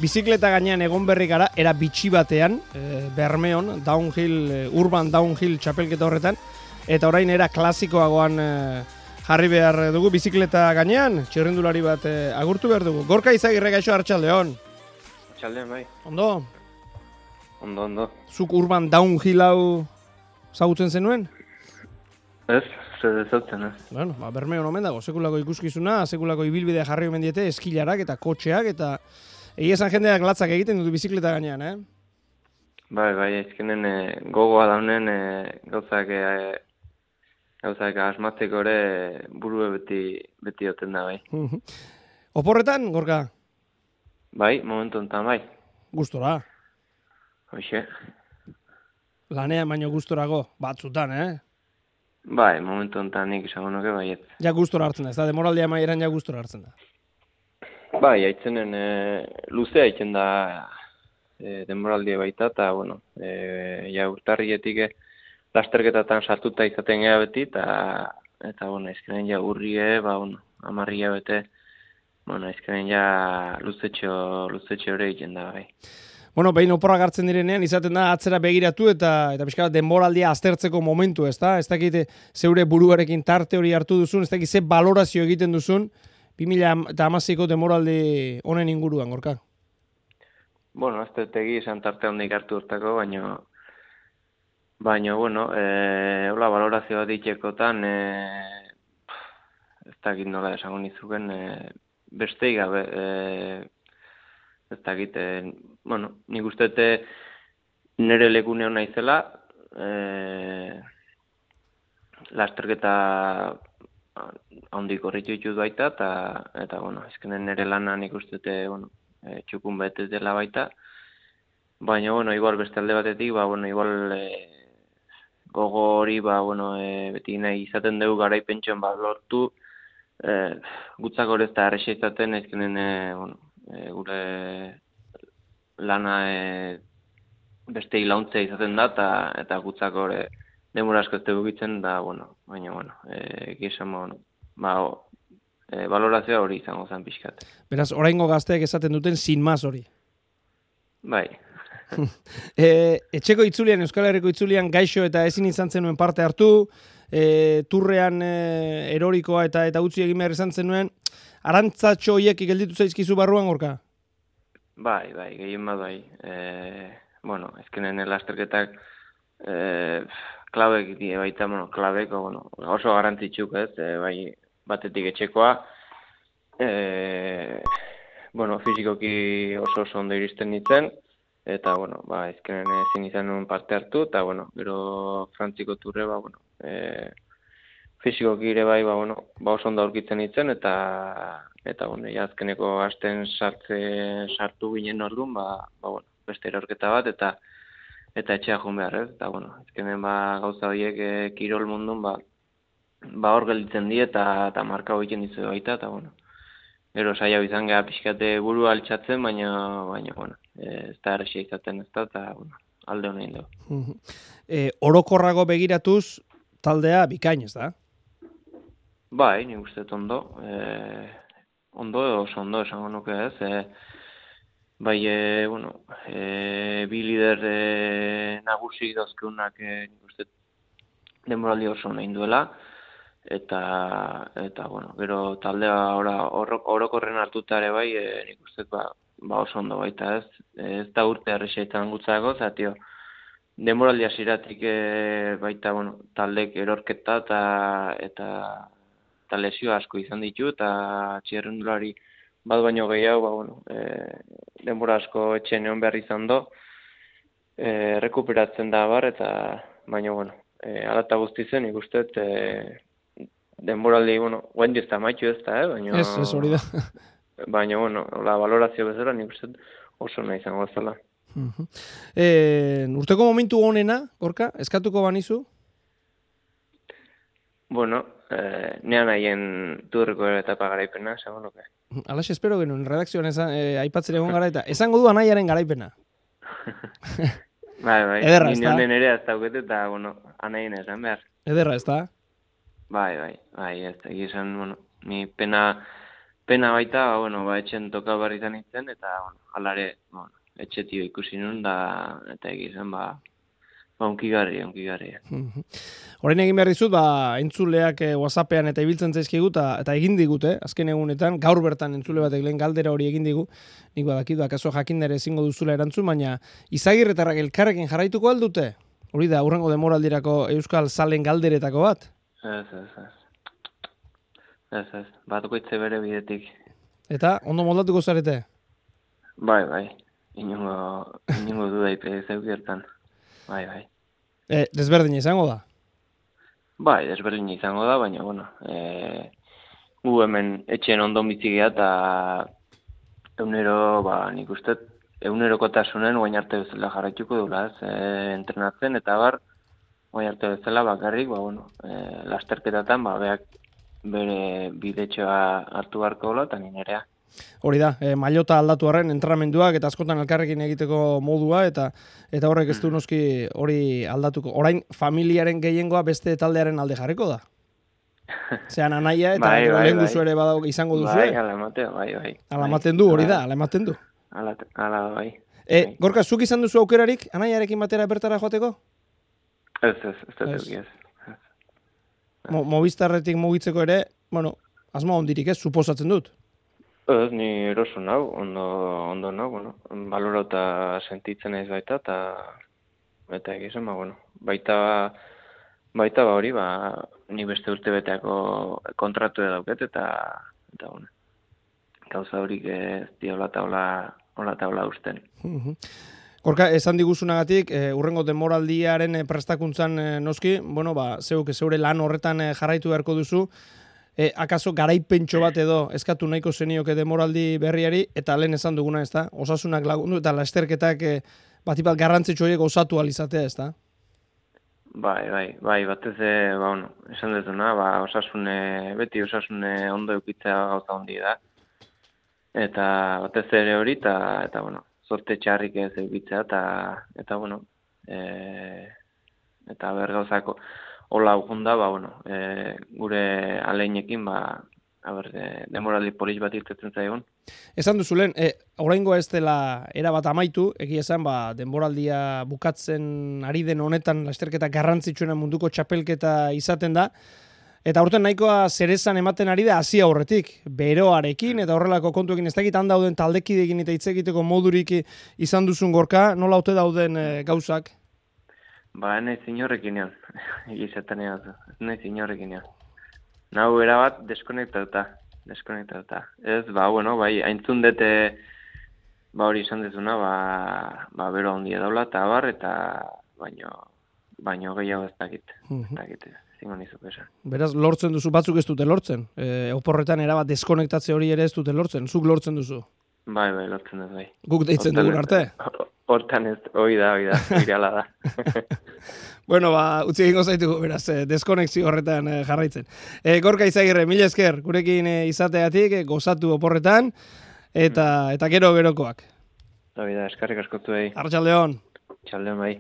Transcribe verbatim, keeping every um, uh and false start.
Bizikleta gainean egon berri gara, era bitxi batean, e, Bermeon, downhill, e, urban downhill txapelketa horretan, eta orain era klasikoagoan e, jarri behar dugu bizikleta gainean, txirrindulari bat e, agurtu behar dugu. Gorka Izagirre, gaixo, arratsaldeon. Arratsaldeon, bai. Ondo? Ondo, ondo. Zuk urban downhill hau zagutzen zenuen? Ez, zer zautzen, ez. Bueno, ba, Bermeon omen dago, sekulako ikuskizuna, sekulako ibilbidea jarri omen diete, eskilarak eta kotxeak, eta egia esan jendeak latzak egiten dut bizikleta gainean, eh? Bai, bai, ezkenen e, gogoa daunen e, gauzak e, gauzak asmatzeko ere burue beti beti oten da, bai. Oporretan, Gorka? Bai, momentu honetan, bai. Gustora. Hoxe. Lanean baino gustorago, batzutan, eh? Bai, momentu honetan nik esango nuke baiet. Ja gustora hartzen da, ez da, demoraldia maieran ja gustora hartzen da. Bai, aitzenen e, luzea aitzen da e, denboraldia baita, eta, bueno, e, ja urtarrietik e, lasterketatan sartuta izaten gea beti, eta, eta bueno, ezkenen ja urrie, ba, bueno, amarria bete, bueno, ezkenen ja luzetxo, luzetxo hori egiten da, bai. Bueno, behin oporrak hartzen direnean, izaten da atzera begiratu eta eta pixka bat denboraldia aztertzeko momentu, ez da? Ez dakit zeure buruarekin tarte hori hartu duzun, ez dakit ze balorazio egiten duzun, bi mila hamaseiko denboraldi honen inguruan, Gorka? Bueno, ez dut egi esan tarte handik hartu urtako, baina, baina, bueno, e, hola, balorazio bat ditxekotan, e, ez dakit nola esango nizuken, e, besteik gabe, e, ez dakit, e, bueno, nik uste nire lekune hona izela, e, lasterketa handik horretu ditut baita, eta, eta bueno, ezkenen nire lana nik uste, bueno, e, txukun betez dela baita, baina, bueno, igual beste alde batetik, ba, bueno, igual e, gogo hori, ba, bueno, e, beti nahi izaten dugu garaipentxoan ba, lortu, e, gutzak hori ez da arrexa izaten, ezkenen, e, bueno, e, gure lana e, beste hilauntza izaten da, eta, eta gutzak hori demora asko ez dugitzen, da, bueno, baina, bueno, e, gizan, bueno, ba, o, e, balorazioa hori izango zen pixkat. Beraz, oraingo gazteak esaten duten sin más hori. Bai. e, etxeko itzulian, Euskal Herriko itzulian gaixo eta ezin izan zenuen parte hartu, e, turrean e, erorikoa eta eta utzi egin behar izan zenuen, arantzatxo horiek gelditu zaizkizu barruan, Gorka? Bai, bai, gehien bat bai. E, bueno, ezkenen lasterketak e, klabek die baita, bueno, klabeko, bueno, oso garrantzitsuk ez, e, bai, batetik etxekoa, e, bueno, fizikoki oso oso ondo iristen nintzen, eta, bueno, ba, ezkenen ezin izan nuen parte hartu, eta, bueno, gero Frantziko turre, ba, bueno, e, fizikoki ere bai, ba, bueno, ba, oso ondo aurkitzen nintzen, eta, eta, bueno, ja, azkeneko asten sartze, sartu ginen orduan, ba, ba, bueno, beste erorketa bat, eta eta etxea joan behar, ez? Eta, bueno, ezkenen, ba, gauza horiek e, kirol mundun, ba, ba, hor gelditzen di, eta, eta marka egiten dizu baita, eta, bueno, gero saia izan geha pixkate buru altxatzen, baina, baina, bueno, e, ez da errexia izaten ez da, eta, bueno, alde honein dugu. e, orokorrago begiratuz, taldea bikain, ez da? Bai, nik uste ondo, e, ondo, oso ondo esango nuke ez, e, bai, e, bueno, e, bi lider e, nagusi dauzkeunak e, nik uste denboraldi oso nahi duela, eta, eta, bueno, gero taldea orokorren hartuta ere bai, e, nik uste ba, ba oso ondo baita ez, ez da urte arrexeetan gutzako, zatio, denboraldi hasiratik e, baita, bueno, taldek erorketa eta, eta eta lesio asko izan ditu, eta txirrindulari bat baino gehiago, ba, bueno, e, denbora asko etxen egon behar izan do, e, rekuperatzen da bar, eta baina, bueno, e, alata guzti zen, ikustet, e, denboraldi, bueno, guen ez da maitu ez da, eh? Baina, ez, ez hori da. Baina, bueno, la valorazio bezala, nik uste oso nahi izango zela. Uh-huh. e, urteko momentu honena, Gorka, eskatuko banizu? Bueno, eh, nean haien turriko etapa garaipena, esango nuke. Alax espero genuen, redakzioan esan, eh, aipatzen egon gara eta esango du anaiaren garaipena. bai, bai, ederra, ez da? Ninen ere ez dauket eta, bueno, anaien esan behar. Ederra, ez da? Bai, bai, bai, ez da, esan, bueno, ni pena pena baita, ba, bueno, ba, etxen toka barritan nintzen, eta, bueno, alare, bueno, etxetio ikusi nun, da, eta egizan, ba, ba, unkigarri, unkigarri. Horrein egin behar dizut, ba, entzuleak eh, WhatsAppean eta ibiltzen zaizkigu, eta, eta egin digute, azken egunetan, gaur bertan entzule batek lehen galdera hori egin digu, nik badakit, akaso jakindere ezingo duzula erantzun, baina Izagirretarrak elkarrekin jarraituko aldute? Hori da, hurrengo demoraldirako Euskal Zalen galderetako bat? Ez, ez, ez. Ez, ez, bat goitze bere bidetik. Eta, ondo moldatuko zarete? Bai, bai, inungo, inungo dudaip zeukiertan. Bai, bai. E, desberdin izango da? Bai, desberdin izango da, baina, bueno, e, gu hemen etxen ondo bitzigea eta eunero, ba, nik uste, eunerokotasunen guain arte bezala jarraituko dula, ez, e, entrenatzen, eta bar, guain arte bezala bakarrik, ba, bueno, e, lasterketatan, ba, beak bere bidetxoa hartu beharko dola, eta ninerea. Hori da, e, mailota aldatu arren entrenamenduak eta askotan elkarrekin egiteko modua eta eta horrek ez du noski hori aldatuko. Orain familiaren gehiengoa beste taldearen alde jarriko da. Zean anaia eta bai, bai, lehen bai. duzu ere badau izango duzu. Bai, ala ematen, bai, bai. Ala ematen du, hori da, ala ematen du. Ala, ala, bai. E, Gorka, zuk izan duzu aukerarik anaiarekin batera bertara joateko? Ez, ez, ez, ez, ez. Mo, Movistarretik mugitzeko ere, bueno, asmo ondirik ez, suposatzen dut. Ez, ni eroso nau, ondo, ondo nau, bueno, balorauta sentitzen ez baita, eta eta egizan, ba, bueno, baita, baita ba hori, ba, ni beste urte beteako kontratu dauket, eta, eta, bueno, gauza horik ez di hola taula, hola taula usten. Gorka, esan diguzunagatik, e, urrengo demoraldiaren e, prestakuntzan e, noski, bueno, ba, zeuk zeure lan horretan e, jarraitu beharko duzu, E, akaso garaipentxo bat edo eskatu nahiko zenioke demoraldi berriari, eta lehen esan duguna, ez da? Osasunak lagundu eta lasterketak e, batipat garrantzitsu horiek osatu alizatea, ez da? Bai, bai, bai, batez, e, ba, bueno, esan dezuna, ba, osasune, beti osasune ondo eukitzea gauza hondi da. Eta batez ere hori, eta, eta bueno, zorte txarrik ez eukitzea, eta, eta bueno, e, eta ber gauzako, hola ugunda, ba, bueno, e, gure aleinekin, ba, aber, de, demoraldi polis bat irtetzen zaigun. Esan duzu lehen, e, oraingoa ez dela erabat amaitu, egia esan, ba, denboraldia bukatzen ari den honetan, lasterketa garrantzitsuena munduko txapelketa izaten da, eta aurten nahikoa zerezan ematen ari da hasi aurretik, beroarekin, eta horrelako kontuekin ez dakit han dauden taldekideekin eta hitz egiteko modurik izan duzun Gorka, nola ote dauden e, gauzak? Ba, nahi zinorrekin ean, egizaten ean, nahi zinorrekin ean. Nau erabat deskonektatuta, deskonektatuta. Ez, ba, bueno, bai, haintzun dute, ba, hori izan dezuna, ba, ba, bero handia daula, eta bar, eta baino, baino gehiago ez dakit, ez dakit, zingo nizuk esan. Beraz, lortzen duzu, batzuk ez dute lortzen, e, oporretan erabat deskonektatze hori ere ez dute lortzen, zuk lortzen duzu. Bai, bai, lortzen dut, bai. Guk deitzen dugun arte. Hortan ez, hoi da, hoi da, irala da. Bueno, ba, utzi egingo zaitugu, beraz, eh, deskonexio horretan eh, jarraitzen. Eh, Gorka Izagirre, mila esker, gurekin eh, izateatik, eh, gozatu oporretan, eta, eta gero gerokoak. Hoi da, eskarrik askotu behi. Arratsaldeon. Txaldeon bai.